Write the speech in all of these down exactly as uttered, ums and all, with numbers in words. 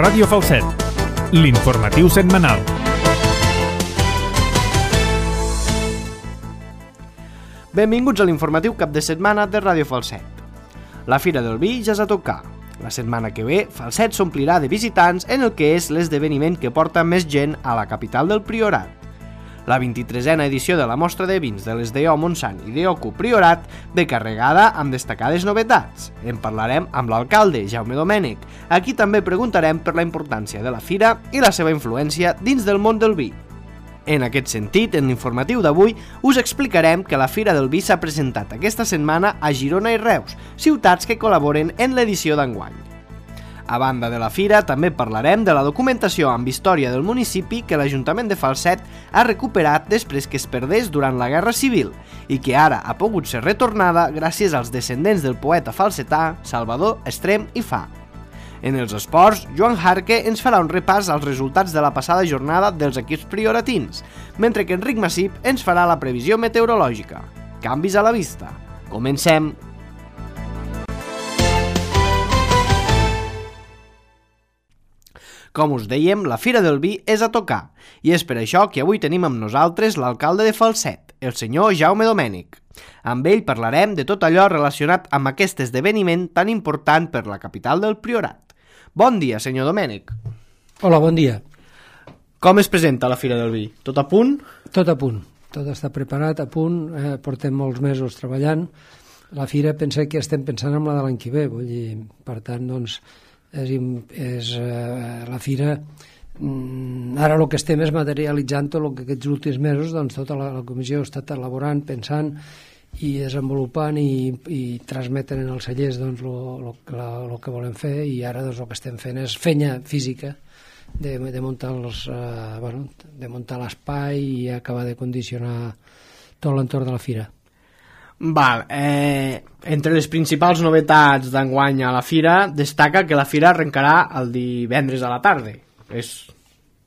Ràdio Falset, l'informatiu setmanal. Benvinguts a l'informatiu cap de setmana de Ràdio Falset. La Fira del Vi ja és a tocar. La setmana que ve, Falset s'omplirà de visitants en el que és l'esdeveniment que porta més gent a la capital del Priorat. La vint-i-tresena edició de la mostra de vins de les D O Montsant i D O Q Priorat ve carregada amb destacades novetats. En parlarem amb l'alcalde, Jaume Domènech. Aquí també preguntarem per la importància de la fira i la seva influència dins del món del vi. En aquest sentit, en l'informatiu d'avui, us explicarem que la Fira del Vi s'ha presentat aquesta setmana a Girona i Reus, ciutats que col·laboren en l'edició d'enguany. A banda de la fira, també parlarem de la documentació amb història del municipi que l'Ajuntament de Falset ha recuperat després que es perdés durant la Guerra Civil i que ara ha pogut ser retornada gràcies als descendents del poeta falsetà Salvador Estrem i Fa. En els esports, Joan Jarque ens farà un repàs als resultats de la passada jornada dels equips prioratins, mentre que Enric Massip ens farà la previsió meteorològica. Canvis a la vista. Comencem! Com us dèiem, la Fira del Vi és a tocar, i és per això que avui tenim amb nosaltres l'alcalde de Falset, el senyor Jaume Domènech. Amb ell parlarem de tot allò relacionat amb aquest esdeveniment tan important per la capital del Priorat. Bon dia, senyor Domènech. Hola, bon dia. Com es presenta la Fira del Vi? Tot a punt? Tot a punt. Tot està preparat, a punt. Eh, portem molts mesos treballant. La Fira pensé que estem pensant en la de l'any que ve. Vull dir, per tant, doncs, és, és eh, la Fira... Mm, ara el que estem és materialitzant tot el que aquests últims mesos doncs, tota la, la comissió ha estat elaborant, pensant i desenvolupant i, i transmeten en els cellers doncs, lo, lo, la, lo que volem fer, i ara doncs, el que estem fent és fenya física de, de muntar els, eh, bueno, de muntar l'espai i acabar de condicionar tot l'entorn de la fira. Val, eh, entre les principals novetats d'enguany a la fira destaca que la fira arrencarà el divendres a la tarda. És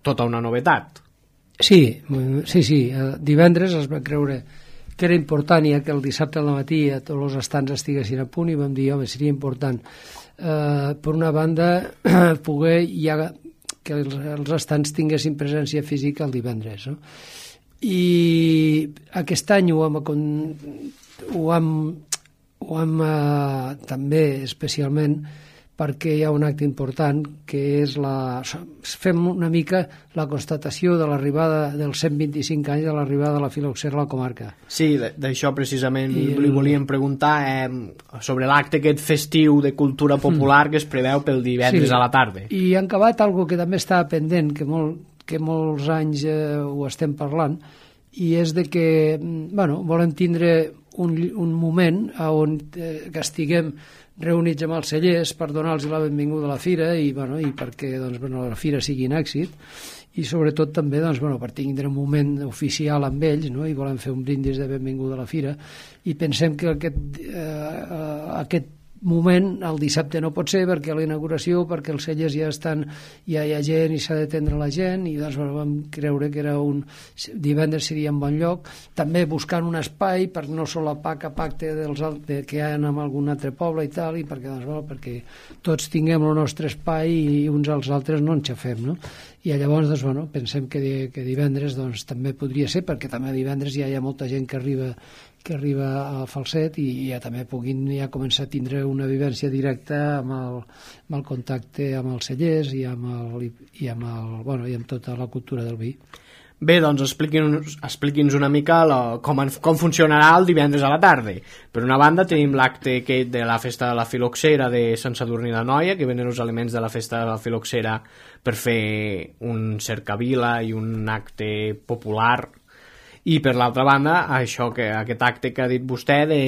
tota una novetat. Sí, sí, sí. El divendres es va creure que era important, ja que el dissabte al matí a tots els estants estiguessin a punt, i vam dir, home, seria important eh, per una banda poder ja que els, els estants tinguessin presència física el divendres, no? I aquest any ho hem, ho hem, ho hem eh, també especialment perquè hi ha un acte important que és la... fem una mica la constatació de l'arribada dels cent vint-i-cinc anys de l'arribada de la filoxera a la comarca. Sí, d'això precisament I li volíem preguntar eh, sobre l'acte aquest festiu de cultura popular mm. que es preveu pel divendres sí. a la tarda. I han acabat algo que també estava pendent, que, molt, que molts anys eh, ho estem parlant, i és de que bueno, volem tindre un, un moment on eh, que estiguem reunits amb els cellers per donar-los la benvinguda a la fira i, bueno, i perquè doncs, bueno, la fira sigui un èxit, i sobretot també doncs, bueno, per tindre un moment oficial amb ells, no? I volem fer un brindis de benvinguda a la fira, i pensem que aquest, eh, aquest moment el dissabte no pot ser perquè a la inauguració, perquè els cellers ja estan, ja hi ha gent i s'ha d'atendre la gent, i doncs bueno, vam creure que era un divendres seria un bon lloc, també buscant un espai per no solapar cap acte dels, de, que hi ha en algun altre poble i tal, i perquè, doncs, bueno, perquè tots tinguem el nostre espai i uns als altres no ens xafem, no? I llavors doncs, bueno, pensem que, que divendres doncs, també podria ser, perquè també divendres ja hi ha molta gent que arriba que arriba a Falset i ja també puguin ja començar a tindre una vivència directa amb el, amb el contacte amb els cellers i amb, el, i, amb el, bueno, i amb tota la cultura del vi. Bé, doncs expliqui'ns expliqui'ns una mica la, com, com funcionarà el divendres a la tarda. Per una banda tenim l'acte de la festa de la filoxera de Sant Sadurní d'Anoia, que venen els elements de la festa de la filoxera per fer un cercavila i un acte popular. I per l'altra banda, això que aquest acte que ha dit vostè de,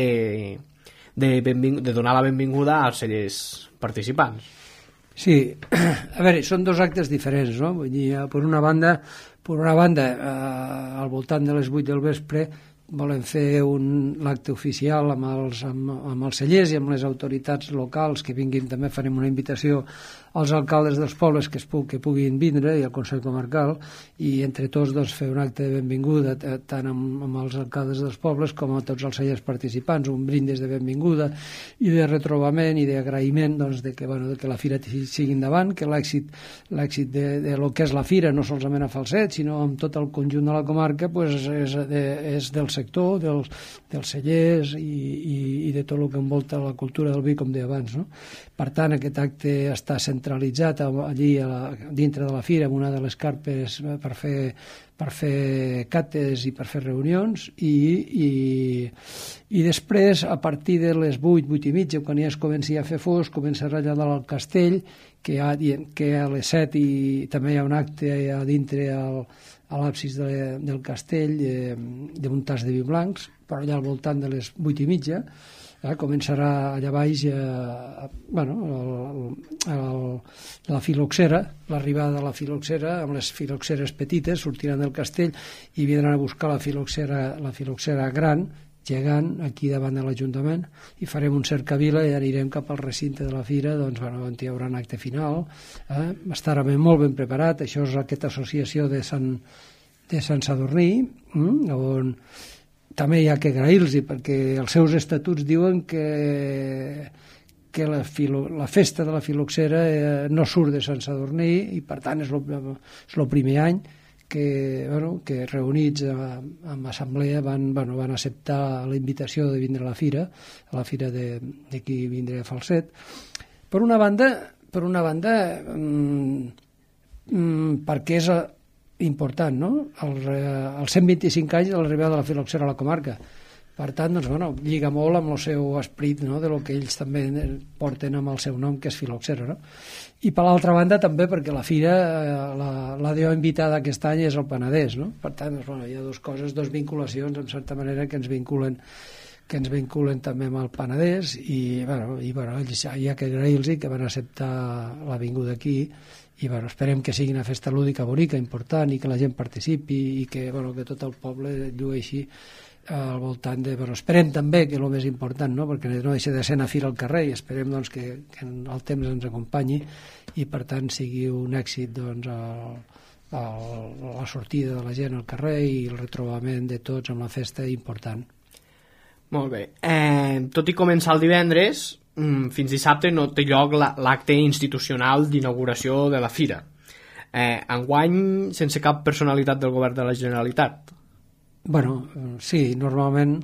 de, de donar la benvinguda als cellers participants. Sí, a veure, són dos actes diferents, no? Vull dir, per una banda, per una banda eh, al voltant de les vuit del vespre volem fer l'acte oficial amb els, amb, amb els cellers i amb les autoritats locals que vinguin. També farem una invitació als alcaldes dels pobles que, es pu que puguin vindre i al Consell Comarcal, i entre tots doncs, fer un acte de benvinguda tant amb, amb els alcaldes dels pobles com a tots els cellers participants, un brindis de benvinguda i de retrobament i d'agraïment doncs, de, que, bueno, de que la fira sigui endavant, que l'èxit l'èxit de, de lo que és la fira, no solament a Falset, sinó amb tot el conjunt de la comarca, pues, és, de, és del sector, dels, dels cellers i, i, i de tot el que envolta la cultura del vi, com deia abans, no? Per tant, aquest acte està centralitzat allí a la, dintre de la fira, en una de les carpes per fer, per fer cates i per fer reunions, i, i, i després, a partir de les vuit, vuit i mitja, quan ja es comenci a fer fosc, comença a ratllar al castell, que, ha, que a les set i també hi ha un acte a dintre al, a l'absis de, del castell eh, de un tas de vi blancs, però allà al voltant de les vuit i mitja, Eh, començarà allà baix eh, bueno, el, el, la filoxera, l'arribada de la filoxera, amb les filoxeres petites sortiran del castell i vindran a buscar la filoxera, la filoxera gran, gegant, aquí davant de l'Ajuntament, i farem un cercavila i anirem cap al recinte de la fira, doncs, bueno, on hi haurà un acte final, eh? Estarà ben, molt ben preparat. Això és aquesta associació de Sant, de Sant Sadurní, mm, on també hi ha que agrair-los, perquè els seus estatuts diuen que, que la, filo, la festa de la filoxera eh, no surt de Sant Sadurní, i per tant és el primer any que, bueno, que reunits en assemblea van, bueno, van acceptar la invitació de vindre a la fira, a la fira d'aquí vindre a Falset. Per una banda, per una banda mm, mm, perquè és important, no? El, els cent vint-i-cinc anys de l'arribada de la filoxera a la comarca. Per tant, doncs, bueno, lliga molt amb el seu esperit, no?, de lo que ells també porten amb el seu nom, que és filoxera, no? I per l'altra banda també perquè la fira, la, la D O invitada aquest any és el Penedès, no? Per tant, doncs, bueno, hi ha dues coses, dues vinculacions, en certa manera, que ens vinculen que ens vinculen també amb el Penedès, i, bueno, i bueno, hi ha que agrair-los que van acceptar la vinguda aquí, i bueno, esperem que sigui una festa lúdica bonica, important, i que la gent participi, i que, bueno, que tot el poble llueixi al voltant de... Bueno, esperem també que el més important, no?, perquè no deixa de ser anar a fira al carrer, i esperem doncs, que, que el temps ens acompanyi i per tant sigui un èxit doncs, el, el, la sortida de la gent al carrer i el retrobament de tots amb la festa important. Molt bé. Eh, tot i començar el divendres, fins dissabte no té lloc l'acte institucional d'inauguració de la fira. Eh, enguany, sense cap personalitat del govern de la Generalitat. Bueno, sí, normalment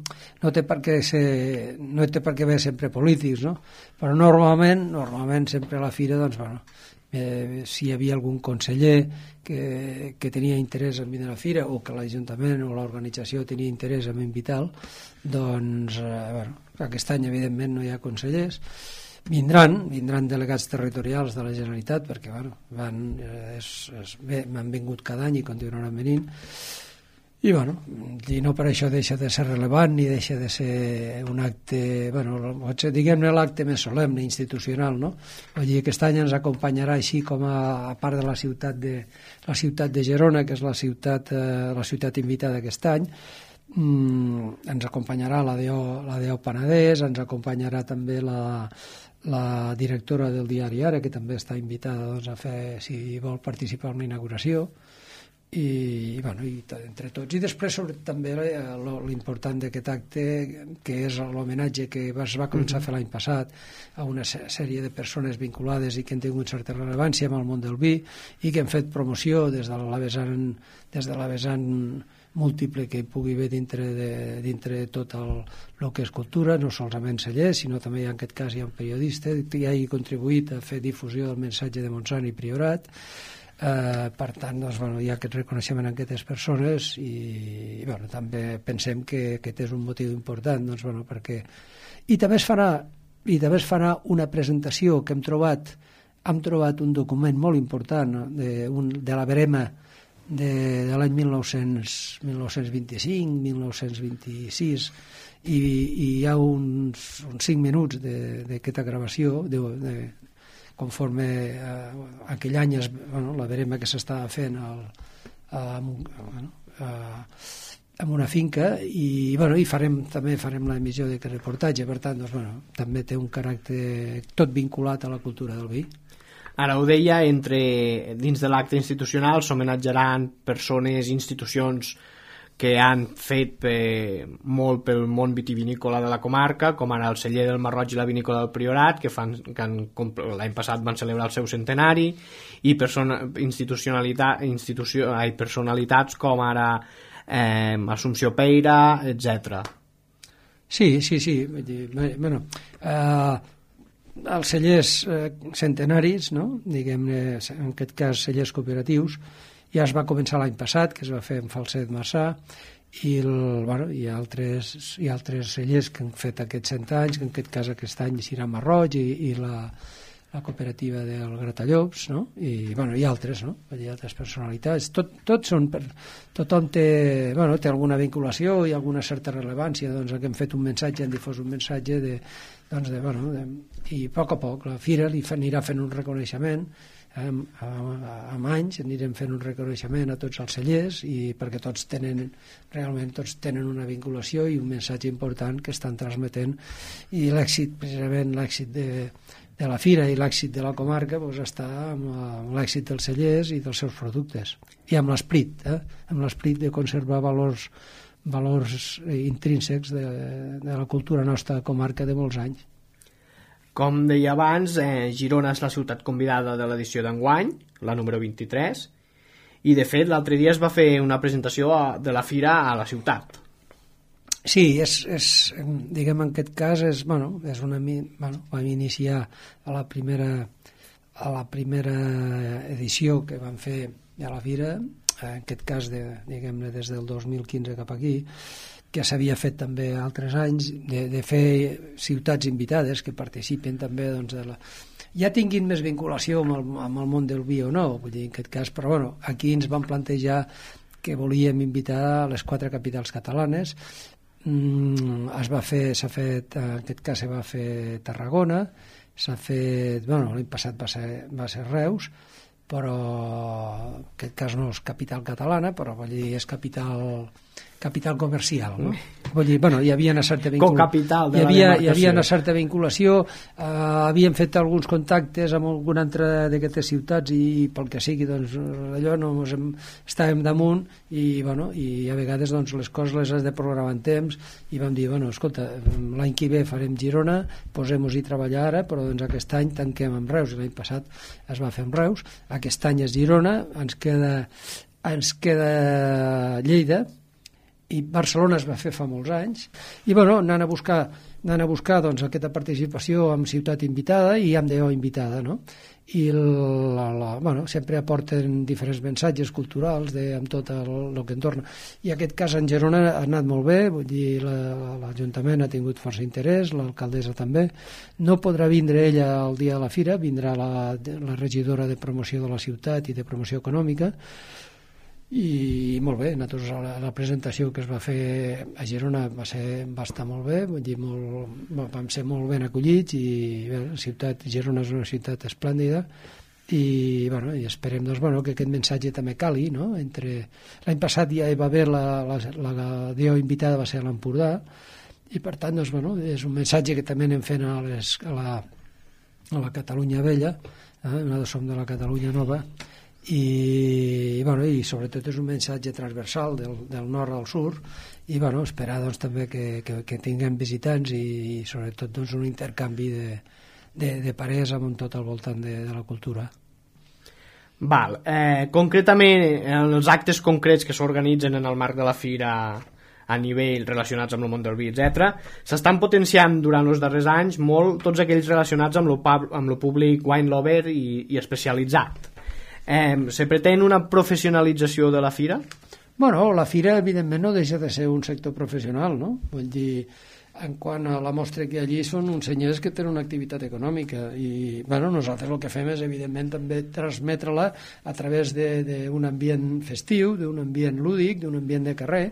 no té per què ser, no té per què haver sempre polítics, no? Però normalment, normalment sempre a la fira, doncs, bueno, eh, si hi havia algun conseller que, que tenia interès en venir a la fira, o que l'Ajuntament o l'organització tenia interès en invitar-lo, doncs, eh, bueno, aquest any evidentment no hi ha consellers, vindran, vindran delegats territorials de la Generalitat, perquè, bueno, van, eh, és, és, bé, m'han vingut cada any i continuaran venint, i, bueno, i no per això deixa de ser relevant ni deixa de ser un acte, bueno, diguem-ne l'acte més solemne, institucional, no? Vull dir, aquest any ens acompanyarà, així com a, a part de la ciutat de, la ciutat de Gerona, que és la ciutat, eh, la ciutat invitada aquest any, mm, ens acompanyarà la D O, la D O Penedès, ens acompanyarà també la, la directora del diari Ara, que també està invitada, doncs, a fer, si vol participar en la inauguració, i, bueno, i entre tots. I després, sobretot, també l'important d'aquest acte, que és l'homenatge que es va començar a fer l'any passat a una sèrie de persones vinculades i que han tingut certa rellevància amb el món del vi i que han fet promoció des de la vessant, des de la vessant múltiple que hi pugui haver dintre de, dintre de tot el, el que és cultura, no solament cellers, sinó també en aquest cas hi ha un periodista que ha contribuït a fer difusió del missatge de Montsant i Priorat. Uh, per tant, doncs, bueno, hi ha aquest reconeixement a aquestes persones i bueno, també pensem que aquest és un motiu important, doncs, bueno, perquè... I també es farà i també es farà una presentació que hem trobat hem trobat un document molt important, no? de, un, de la Verema de, de l'any mil nou-cents vint-i-cinc mil nou-cents vint-i-sis, i, i hi ha uns, uns cinc minuts d'aquesta gravació de, de conforme eh, aquell any es, bueno, la verema que s'estava fent el, a, bueno, a, en una finca i, bueno, i farem, també farem l'emissió d'aquest reportatge, per tant, doncs, bueno, també té un caràcter tot vinculat a la cultura del vi. Ara ho deia, entre, dins de l'acte institucional s'homenatjaran persones i institucions que han fet per, molt pel món vitivinícola de la comarca, com ara el celler del Marroig i la vinícola del Priorat, que, fan, que han, l'any passat van celebrar el seu centenari, i persona, institucionalitat, institució, ai, personalitats com ara eh, Assumpció Peira, etcètera. Sí, sí, sí. Vull dir, bueno, eh, els cellers eh, centenaris, no? Diguem-ne, en aquest cas cellers cooperatius, ja es va començar l'any passat, que es va fer en Falset Marçà, i el, bueno, hi ha altres, hi ha altres cellers que han fet aquests cent anys, que en aquest cas aquest any serà Marroig i, i la, la cooperativa del Gratallops, no? I, bueno, hi ha altres, no? Hi ha altres personalitats. Tot, tot són per, tothom té, bueno, té alguna vinculació i alguna certa rellevància, doncs que hem fet un missatge, hem difós un missatge de, doncs de, bueno, de, i a poc a poc la fira li fa, anirà fent un reconeixement. Amb, amb anys anirem fent un reconeixement a tots els cellers i perquè tots tenen, realment tots tenen una vinculació i un missatge important que estan transmetent, i l'èxit, precisament l'èxit de, de la fira i l'èxit de la comarca doncs està amb, la, amb l'èxit dels cellers i dels seus productes i amb l'esperit, eh? amb l'esperit de conservar valors, valors intrínsecs de, de la cultura nostra comarca de molts anys. Com deia abans, eh, Girona és la ciutat convidada de l'edició d'enguany, la número vint-i-tres, i de fet l'altre dia es va fer una presentació a, de la fira a la ciutat. Sí, és, és, diguem en aquest cas, és, bueno, és una, bueno, vam iniciar a la primera, a la primera edició que vam fer a la fira, en aquest cas, de, diguem-ne, des del dos mil quinze cap aquí, que s'havia fet també altres anys, de, de fer ciutats invitades que participen també, doncs, de la... ja tinguin més vinculació amb el, amb el món del vi o no, vull dir, en aquest cas, però bueno, aquí ens vam plantejar que volíem invitar a les quatre capitals catalanes. Mm, es va fer, s'ha fet, en aquest cas se va fer Tarragona, s'ha fet, bueno, l'any passat va ser, va ser Reus, però en aquest cas no és capital catalana, però vull dir, és capital capital comercial, no? Vull dir, bueno, hi havia una certa vinculació, hi havia, hi havia una certa vinculació, eh, havíem fet alguns contactes amb alguna altra d'aquestes ciutats i pel que sigui, doncs, allò no ens hem, estàvem damunt i, bueno, i a vegades doncs, les coses les has de programar en temps i vam dir, bueno, escolta, l'any que ve farem Girona, posem-nos-hi a treballar ara, però doncs aquest any tanquem amb Reus, i l'any passat es va fer amb Reus, aquest any és Girona, ens queda, ens queda Lleida, i Barcelona es va fer fa molts anys, i bueno, anant a buscar, anant a buscar doncs, aquesta participació amb ciutat invitada i amb D O invitada, no? I la, la, bueno, sempre aporten diferents missatges culturals de, amb tot el, el que entorna, i en aquest cas en Girona ha anat molt bé, vull dir, l'Ajuntament ha tingut força interès, l'alcaldessa també, no podrà vindre ella el dia de la fira, vindrà la, la regidora de promoció de la ciutat i de promoció econòmica, i molt bé, nosaltres la, la presentació que es va fer a Girona va, ser, va estar molt bé, vull dir, molt, vam ser molt ben acollits i bé, la ciutat, Girona és una ciutat esplèndida i, bueno, i esperem doncs, bueno, que aquest missatge també cali, no? Entre... l'any passat ja hi va haver la, la, la, la D O invitada va ser a l'Empordà i per tant doncs, bueno, és un missatge que també anem fent a, les, a, la, a la Catalunya vella, eh? Nosaltres som de la Catalunya nova i, bueno, i sobretot és un missatge transversal del, del nord al sud i bueno, esperar doncs, també que, que, que tinguem visitants i, i sobretot doncs, un intercanvi de, de, de parers amb tot al voltant de, de la cultura. Val. Eh, concretament, en els actes concrets que s'organitzen en el marc de la fira a nivell relacionats amb el món del vi, etcètera, s'estan potenciant durant els darrers anys molt tots aquells relacionats amb el públic wine lover i, i especialitzat. Eh, se pretén una professionalització de la fira? Bueno, la fira evidentment no deixa de ser un sector professional, no? Vull dir, en quant a la mostra que allí són uns senyors que tenen una activitat econòmica i bueno, nosaltres el que fem és evidentment també transmetre-la a través d'un ambient festiu, d'un ambient lúdic, d'un ambient de carrer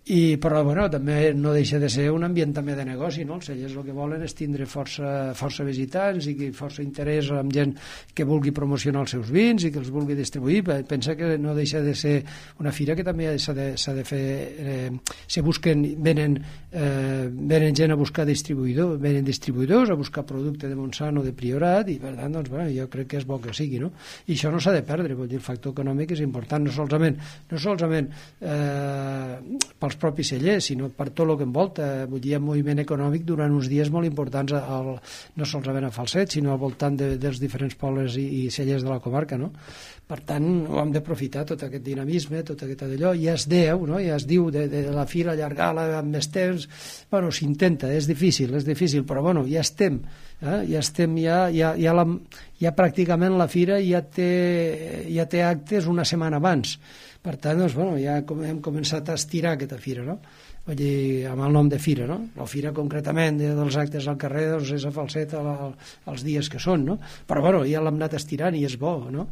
I, però bueno, també no deixa de ser un ambient també de negoci, no? Els cellers el que volen és tindre força, força visitants i força interès amb gent que vulgui promocionar els seus vins i que els vulgui distribuir. Pensa que no deixa de ser una fira que també s'ha de, s'ha de fer, eh, se busquen, venen, eh, venen gent a buscar distribuïdors, venen distribuïdors a buscar producte de Montsant o de Priorat, i per tant, doncs, bueno, jo crec que és bo que sigui, no? I això no s'ha de perdre, vol dir, el factor econòmic és important, no solament, no solament eh, pels propis cellers, sinó per tot el que envolta. Vull dir, un moviment econòmic durant uns dies molt importants al, no solament a Falset, sinó al voltant de, dels diferents pobles i, i cellers de la comarca, no? Per tant, ho hem d'aprofitar, tot aquest dinamisme, tot aquest d'allò. Ja es deu, no? Ja es diu de, de la fira, allargar-la amb més temps. Bueno, s'intenta, és difícil, és difícil, però bueno, ja estem, eh? ja estem, ja, ja, ja, la, ja pràcticament la fira ja té, ja té actes una setmana abans. Per tant, doncs, bueno, ja hem començat a estirar aquesta fira, no? Vull dir, amb el nom de fira, no? La fira concretament dels actes al carrer, doncs és a Falset els dies que són, no? Però bueno, ja l'hem anat estirant i és bo, no?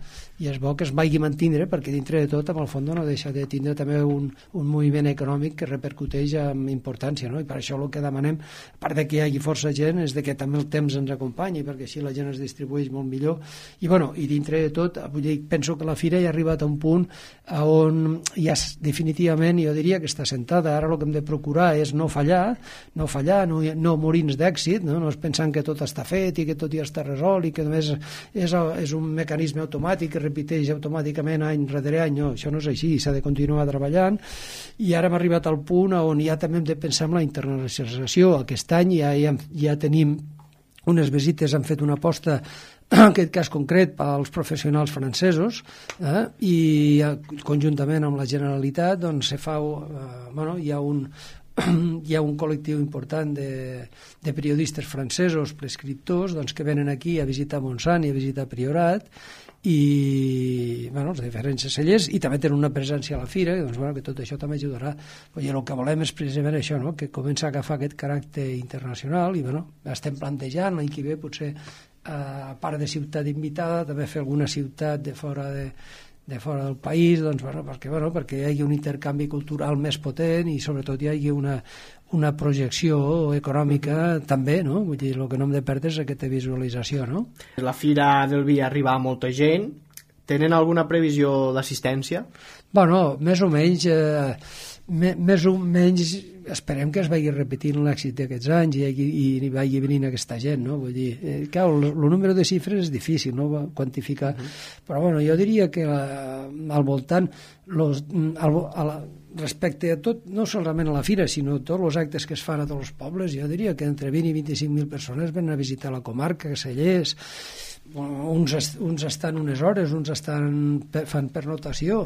I és bo que es vagi mantindre, perquè dintre de tot, amb el fons, no deixa de tindre també un, un moviment econòmic que repercuteix amb importància, no? I per això el que demanem, a part de que hi hagi força gent, és de que també el temps ens acompanyi, perquè així la gent es distribueix molt millor. I bueno, i dintre de tot, vull dir, penso que la fira ja ha arribat a un punt on ja definitivament, jo diria que està sentada. Ara el que hem de procurar és no fallar, no fallar, no, no morir-nos d'èxit, no? No és pensant que tot està fet i que tot ja està resolt i que només és, és un mecanisme automàtic que repeteix automàticament any rere any. No, això no és així, s'ha de continuar treballant, i ara hem arribat al punt on ja també hem de pensar en la internacionalització. Aquest any ja, ja, ja tenim unes visites, han fet una aposta en aquest cas concret pels professionals francesos, eh? I conjuntament amb la Generalitat doncs se fa, eh, bueno, hi ha un hi ha un col·lectiu important de, de periodistes francesos, prescriptors, doncs, que venen aquí a visitar Montsant i a visitar Priorat, i bueno, els diferents cellers, i també tenen una presència a la fira, i doncs, bueno, que tot això també ajudarà. Però el que volem és precisament això, no? Que comença a agafar aquest caràcter internacional, i bueno, estem plantejant l'any que ve potser, a part de ciutat invitada, també fer alguna ciutat de fora de, de fora del país, doncs, bueno, perquè, bueno, perquè hi hagi un intercanvi cultural més potent i sobretot hi hagi una, una projecció econòmica també, no? Vull dir, el que no hem de perdre és aquesta visualització, no? La Fira del Vi arriba a molta gent. Tenen alguna previsió d'assistència? Bueno, més o menys... Eh, més o menys esperem que es vagi repetint l'èxit d'aquests anys i, i, i vagi venint aquesta gent, no? Vull dir, eh, clar, el, el número de xifres és difícil, no?, quantificar, uh-huh. Però bueno, jo diria que la, al voltant los, al, a la, respecte a tot, no solament a la fira, sinó a tots els actes que es fan a tots els pobles, jo diria que entre vint i vint-i-cinc mil persones venen a visitar la comarca, cellers. Uns, est, uns estan unes hores, uns estan fan pernotació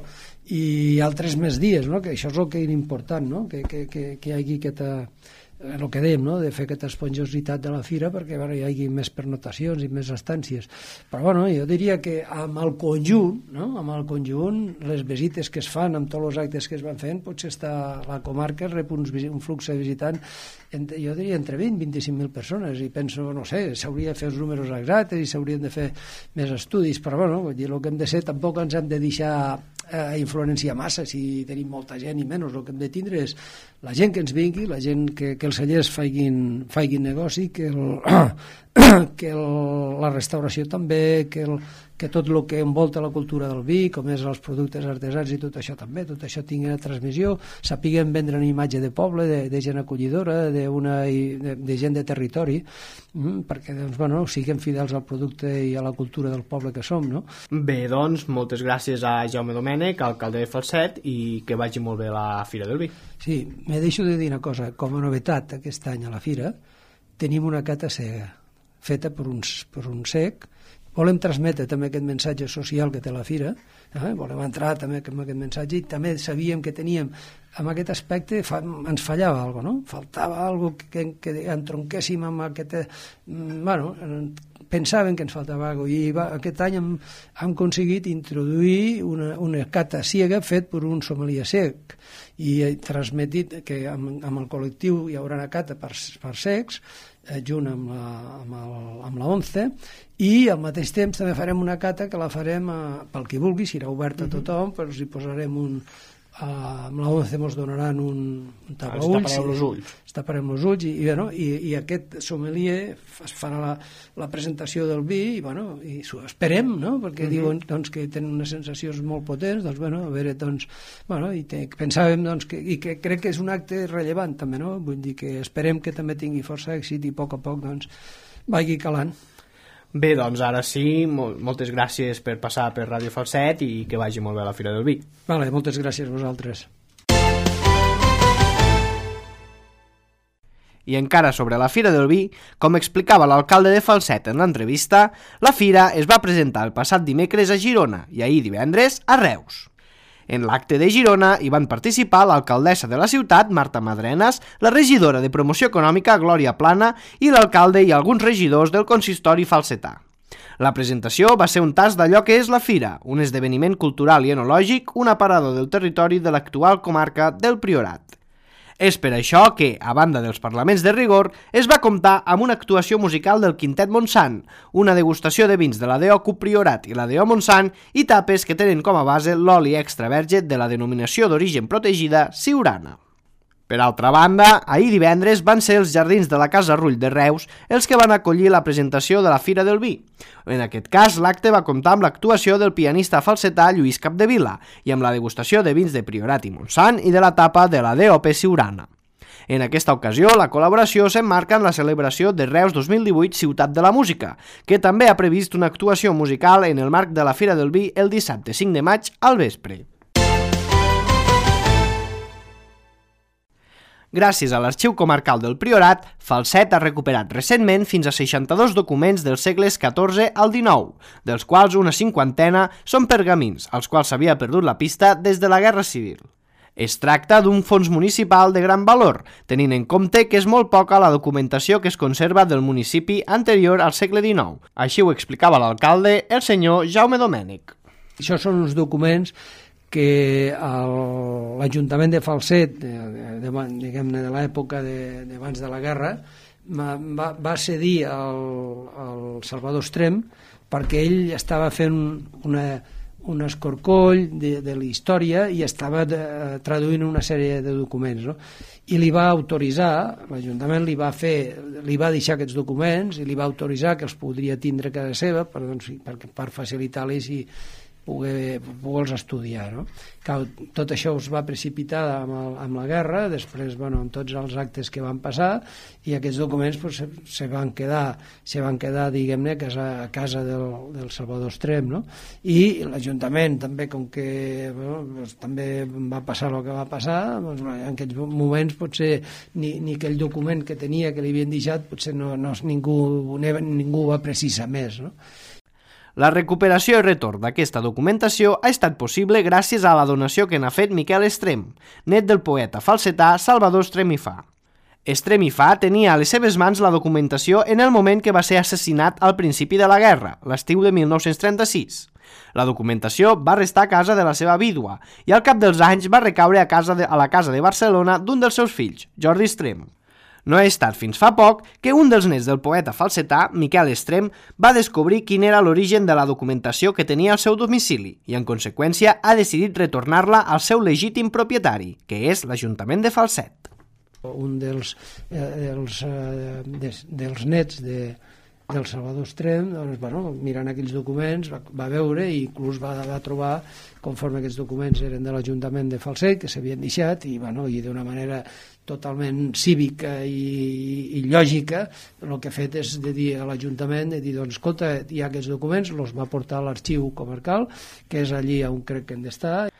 i altres més dies, no? Que això és el que és important, no? Que, que, que, que hi hagi aquesta, el que dèiem, no? De fer aquesta esponjositat de la fira perquè bueno, hi hagi més pernotacions i més estàncies. Però bueno, jo diria que amb el conjunt, no? Amb el conjunt, les visites que es fan, amb tots els actes que es van fent, potser està la comarca rep uns, un flux de visitant, entre, jo diria entre vint i vint-i-cinc mil persones, i penso, no sé, s'hauria de fer els números exactes i s'haurien de fer més estudis, però bueno, vull dir, el que hem de ser, tampoc ens hem de deixar eh, influenciar massa si tenim molta gent i menys. El que hem de tindre és la gent que ens vingui, la gent que, que els cellers faiguin, faiguin negoci, que, el, que el, la restauració també, que, el, que tot el que envolta la cultura del vi, com és els productes artesans i tot això també, tot això tingui una transmissió, sapiguem vendre una imatge de poble, de, de gent acollidora, de, una, de, de gent de territori, mm, perquè doncs, bueno, siguem fidels al producte i a la cultura del poble que som, no? Bé, doncs, moltes gràcies a Jaume Domènech, alcalde de Falset, i que vagi molt bé la Fira del Vi. Sí, me deixo de dir una cosa. Com a novetat aquest any a la Fira tenim una cata cega feta per un, per un cec. Volem transmetre també aquest missatge social que té la Fira, eh? Volem entrar també amb aquest missatge, i també sabíem que teníem en aquest aspecte fa, ens fallava alguna cosa, no? Faltava alguna cosa que, que entronquéssim amb aquest... Bueno, pensaven que ens faltava alguna cosa, i va, aquest any hem, hem aconseguit introduir una, una cata ciega fet per un sommelier cec, i he transmetit que amb, amb el col·lectiu hi haurà una cata per, per cecs, eh, junt amb la, amb, el, amb la ONCE, i al mateix temps també farem una cata que la farem a, pel qui vulgui, serà oberta a tothom, però hi posarem un, amb la once ens donaran un, un tapaulls. Ens tapareu els ulls. Ens taparem els ulls i, i, bueno, i, i aquest sommelier farà la, la presentació del vi i, bueno, i esperem, no? Perquè uh-huh. diuen doncs, que tenen unes sensacions molt potents, doncs, bueno, a veure, doncs, bueno, i te, pensàvem doncs, que, i que crec que és un acte rellevant també, no? Vull dir que esperem que també tingui força èxit i a poc a poc doncs, vagi calant. Bé, doncs ara sí, mol moltes gràcies per passar per Ràdio Falset i que vagi molt bé la Fira del Vi. Vale, moltes gràcies a vosaltres. I encara sobre la Fira del Vi, com explicava l'alcalde de Falset en l'entrevista, la fira es va presentar el passat dimecres a Girona i ahir divendres a Reus. En l'acte de Girona hi van participar l'alcaldessa de la ciutat, Marta Madrenas, la regidora de Promoció Econòmica, Glòria Plana, i l'alcalde i alguns regidors del consistori falsetà. La presentació va ser un tast d'allò que és la fira, un esdeveniment cultural i enològic, un aparador del territori de l'actual comarca del Priorat. És per això que, a banda dels parlaments de rigor, es va comptar amb una actuació musical del Quintet Montsant, una degustació de vins de la D O C U Priorat i la D O Montsant i tapes que tenen com a base l'oli extra verge de la denominació d'origen protegida Siurana. Per altra banda, ahir divendres van ser els jardins de la Casa Rull de Reus els que van acollir la presentació de la Fira del Vi. En aquest cas, l'acte va comptar amb l'actuació del pianista falsetà Lluís Capdevila i amb la degustació de vins de Priorat i Montsant i de la tapa de la D O P Siurana. En aquesta ocasió, la col·laboració s'emmarca en la celebració de Reus dos mil divuit Ciutat de la Música, que també ha previst una actuació musical en el marc de la Fira del Vi el dissabte cinc de maig al vespre. Gràcies a l'Arxiu Comarcal del Priorat, Falset ha recuperat recentment fins a seixanta-dos documents dels segles catorze al dinou, dels quals una cinquantena són pergamins, als quals s'havia perdut la pista des de la Guerra Civil. Es tracta d'un fons municipal de gran valor, tenint en compte que és molt poca la documentació que es conserva del municipi anterior al segle dinou. Així ho explicava l'alcalde, el senyor Jaume Domènech. Això són uns documents que l'Ajuntament de Falset, de, de, diguem-ne de l'època d'abans de la guerra, va, va cedir al, al Salvador Estrem perquè ell estava fent una, un escorcoll de, de la història i estava de, traduint una sèrie de documents, no? I li va autoritzar, l'Ajuntament li va fer, li va deixar aquests documents i li va autoritzar que els podria tindre a casa seva per, doncs, per, per facilitar-los i poder, poder-los estudiar, no? Tot això es va precipitar amb, el, amb la guerra, després, bueno, amb tots els actes que van passar, i aquests documents pues, se, se van quedar, se van quedar, diguem-ne, a casa, a casa del, del Salvador Estrem, no? I l'Ajuntament també, com que bueno, pues, també va passar el que va passar, doncs, en aquests moments potser ni, ni aquell document que tenia que li havien deixat, potser no, no, ningú, ningú va precisar més, no? La recuperació i retorn d'aquesta documentació ha estat possible gràcies a la donació que n'ha fet Miquel Estrem, net del poeta falsetà Salvador Estrem i Fa. Estrem i Fa tenia a les seves mans la documentació en el moment que va ser assassinat al principi de la guerra, l'estiu de mil nou-cents trenta-sis. La documentació va restar a casa de la seva vídua i al cap dels anys va recaure a, casa de, a la casa de Barcelona d'un dels seus fills, Jordi Estrem. No ha estat fins fa poc que un dels nets del poeta falsetà, Miquel Estrem, va descobrir quin era l'origen de la documentació que tenia al seu domicili i, en conseqüència, ha decidit retornar-la al seu legítim propietari, que és l'Ajuntament de Falset. Un dels, eh, dels, eh, des, dels nets de, del Salvador Estrem, doncs, bueno, mirant aquells documents, va, va veure i inclús va, va trobar, conforme aquests documents eren de l'Ajuntament de Falset, que s'havien deixat, i, bueno, i d'una manera totalment cívica i, i, i lògica, el que ha fet és de dir a l'Ajuntament, de dir, doncs, escolta, hi ha aquests documents, els va portar a l'Arxiu Comarcal, que és allí on crec que hem d'estar.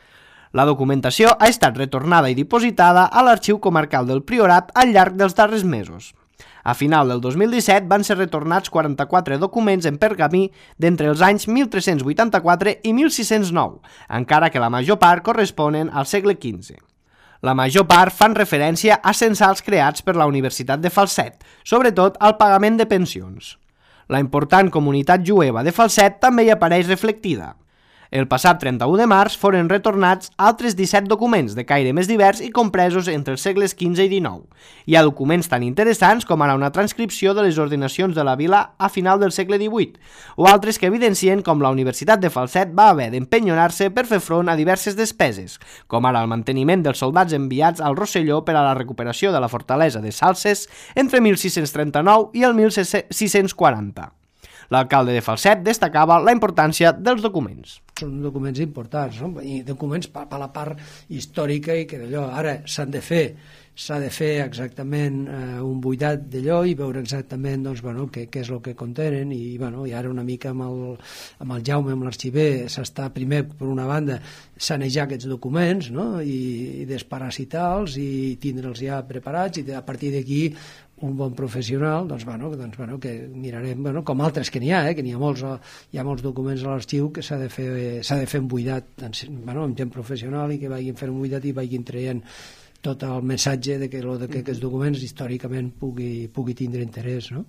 La documentació ha estat retornada i dipositada a l'Arxiu Comarcal del Priorat al llarg dels darrers mesos. A final del dos mil disset van ser retornats quaranta-quatre documents en pergamí d'entre els anys mil tres-cents vuitanta-quatre i mil sis-cents nou, encara que la major part corresponen al segle quinze. La major part fan referència a censals creats per la Universitat de Falset, sobretot al pagament de pensions. La important comunitat jueva de Falset també hi apareix reflectida. El passat trenta-u de març foren retornats altres disset documents de caire més divers i compresos entre els segles quinze i dinou. Hi ha documents tan interessants com ara una transcripció de les ordenacions de la vila a final del segle divuit, o altres que evidencien com la Universitat de Falset va haver d'empenyonar-se per fer front a diverses despeses, com ara el manteniment dels soldats enviats al Rosselló per a la recuperació de la fortalesa de Salses entre mil sis-cents trenta-nou i el mil sis-cents quaranta. L'alcalde de Falset destacava la importància dels documents. Són documents importants, no? I documents per, per la part històrica i que d'allò ara s'han de fer, s'ha de fer exactament eh, un buidat d'allò i veure exactament doncs, bueno, què, què és el que contenen i, bueno, i ara una mica amb el, amb el Jaume, amb l'arxiver, s'està primer, per una banda, sanejar aquests documents, no? I, i desparasitar-los i tindre'ls ja preparats i a partir d'aquí un bon professional, doncs, bueno, doncs, bueno, que mirarem, bueno, com altres que n'hi ha, eh, que n'hi ha molts, hi ha molts documents a l'arxiu que s'ha de fer, s'ha de fer un buidat, bueno, amb gent professional i que vagin fent un buidat i vagin traient tot el missatge de que, lo, de que aquests documents històricament pugui, pugui tindre interès, no?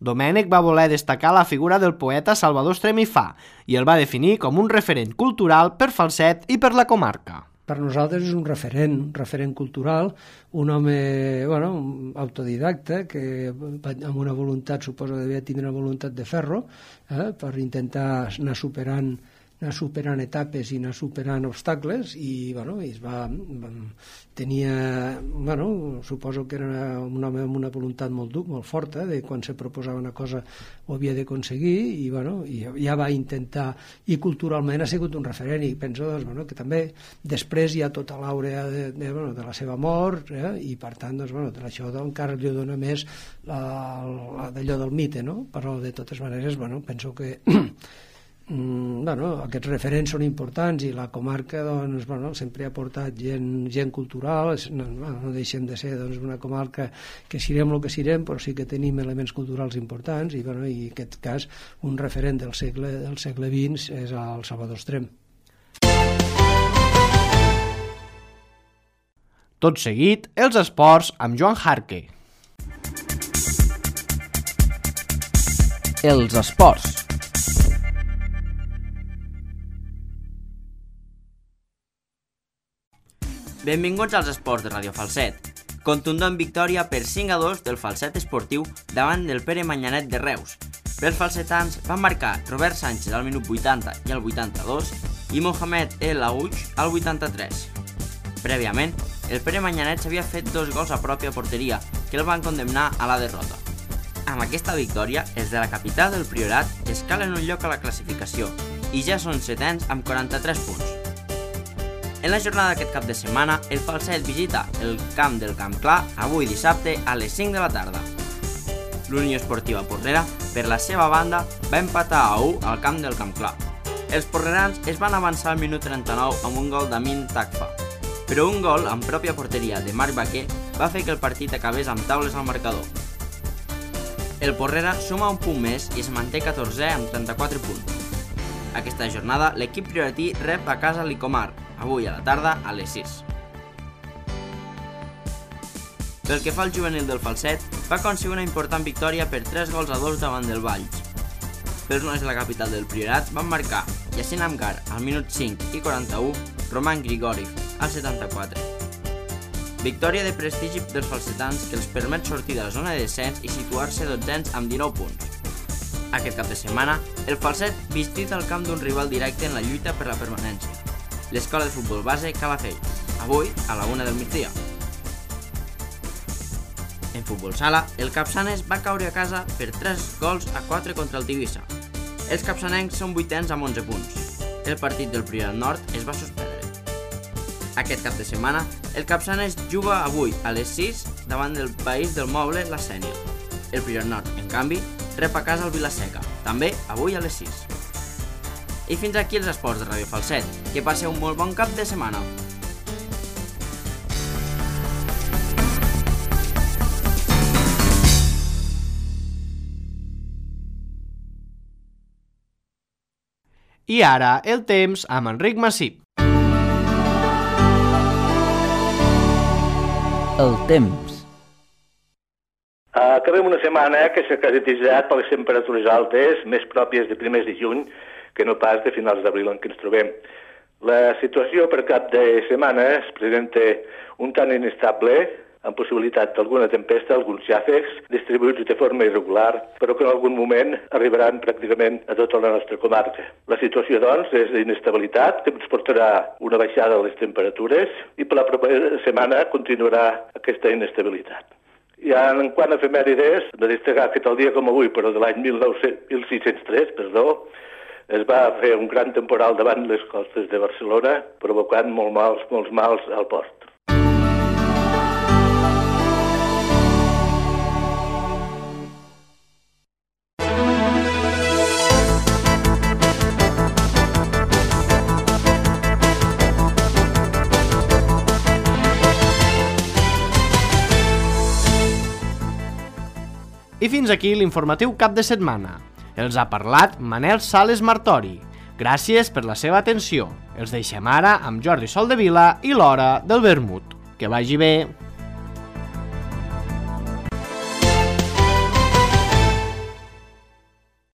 Domènec va voler destacar la figura del poeta Salvador Estrem i Fa i el va definir com un referent cultural per Falset i per la comarca. Per nosaltres és un referent, un referent cultural, un home, bueno, autodidacta, que amb una voluntat, suposo que devia tindre una voluntat de ferro, eh, per intentar anar superant anar superant etapes i anar superant obstacles i, bueno, i es va, va tenia, bueno, suposo que era un home amb una voluntat molt dur, molt forta, de quan se proposava una cosa ho havia d'aconseguir i, bueno, i ja va intentar, i culturalment ha sigut un referent i penso, doncs, bueno, que també després hi ha tota l'àurea de, de, bueno, de la seva mort, eh, i per tant, doncs, bueno, això encara li dona més la, la, d'allò del mite, no? Però de totes maneres, bueno, penso que Mm, bueno, aquests referents són importants i la comarca, doncs, bueno, sempre ha portat gent, gent cultural, no, no deixem de ser, doncs, una comarca que sirem el que sirem, però sí que tenim elements culturals importants i, bueno, i en aquest cas un referent del segle, del segle vint és el Salvador Estrem. Tot seguit, els esports amb Joan Jarque. Els esports. Benvinguts als esports de Radio Falset. Contundent victòria per cinc a dos del Falset esportiu davant del Pere Manyanet de Reus. Pels falsetans van marcar Robert Sánchez al minut vuitanta i al vuitanta-dos i Mohamed El Aouch al vuitanta-tres. Prèviament, el Pere Manyanet s'havia fet dos gols a pròpia porteria que el van condemnar a la derrota. Amb aquesta victòria, els de la capital del Priorat escalen un lloc a la classificació i ja són setens amb quaranta-tres punts. En la jornada d'aquest cap de setmana, el Falset visita el camp del Camp Clar avui dissabte a les cinc de la tarda. L'Unió Esportiva Porrera, per la seva banda, va empatar a u al camp del Camp Clar. Els porrerans es van avançar al minut trenta-nou amb un gol d'Amin Takfa, però un gol en pròpia porteria de Marc Baquer va fer que el partit acabés amb taules al marcador. El Porrera suma un punt més i es manté catorzè amb trenta-quatre punts. Aquesta jornada, l'equip prioratí rep a casa l'Icomar, avui a la tarda a les sis. Pel que fa al juvenil del Falset, va aconseguir una important victòria per tres gols a dos davant del Valls. Pels nois de la capital del Priorat van marcar Yacine Amgar al minut cinc i quaranta-u, Roman Grigori al setanta-quatre. Victòria de prestigi dels falsetans que els permet sortir de la zona de descens i situar-se dotzens amb dinou punts. Aquest cap de setmana, el Falset visita el camp d'un rival directe en la lluita per la permanència, l'escola de futbol base Calafell, avui a la una del migdia. En futbol sala, el Capçanes va caure a casa per tres gols a quatre contra el Tivissa. Els capçanencs són vuitens amb onze punts. El partit del Priorat Nord es va suspendre. Aquest cap de setmana, el Capçanes juga avui a les sis davant del País del Moble la Sènior. El Priorat Nord, en canvi, rep a casa el Vilaseca, també avui a les sis. I fins aquí els esports de Radio Falset. Que passeu un molt bon cap de setmana. I ara, el temps amb Enric Massip. El temps. Acabem una setmana que s'ha caracteritzat per les temperatures altes, més pròpies de primers de juny, que no pas de finals d'abril en què ens trobem. La situació per cap de setmana es presenta un tant inestable, amb possibilitat d'alguna tempesta, alguns xàfecs, distribuïts de forma irregular, però que en algun moment arribaran pràcticament a tota la nostra comarca. La situació, doncs, és d'inestabilitat, que ens portarà una baixada de les temperatures i per la propera setmana continuarà aquesta inestabilitat. I en quant a efemèrides, de destacar que tal dia com avui, però de l'any mil sis-cents tres, perdó, es va fer un gran temporal davant les costes de Barcelona, provocant molt mals, molts mals al port. I fins aquí l'informatiu cap de setmana. Els ha parlat Manel Sales Martori. Gràcies per la seva atenció. Els deixem ara amb Jordi Soldevila i l'Hora del Vermut. Que vagi bé.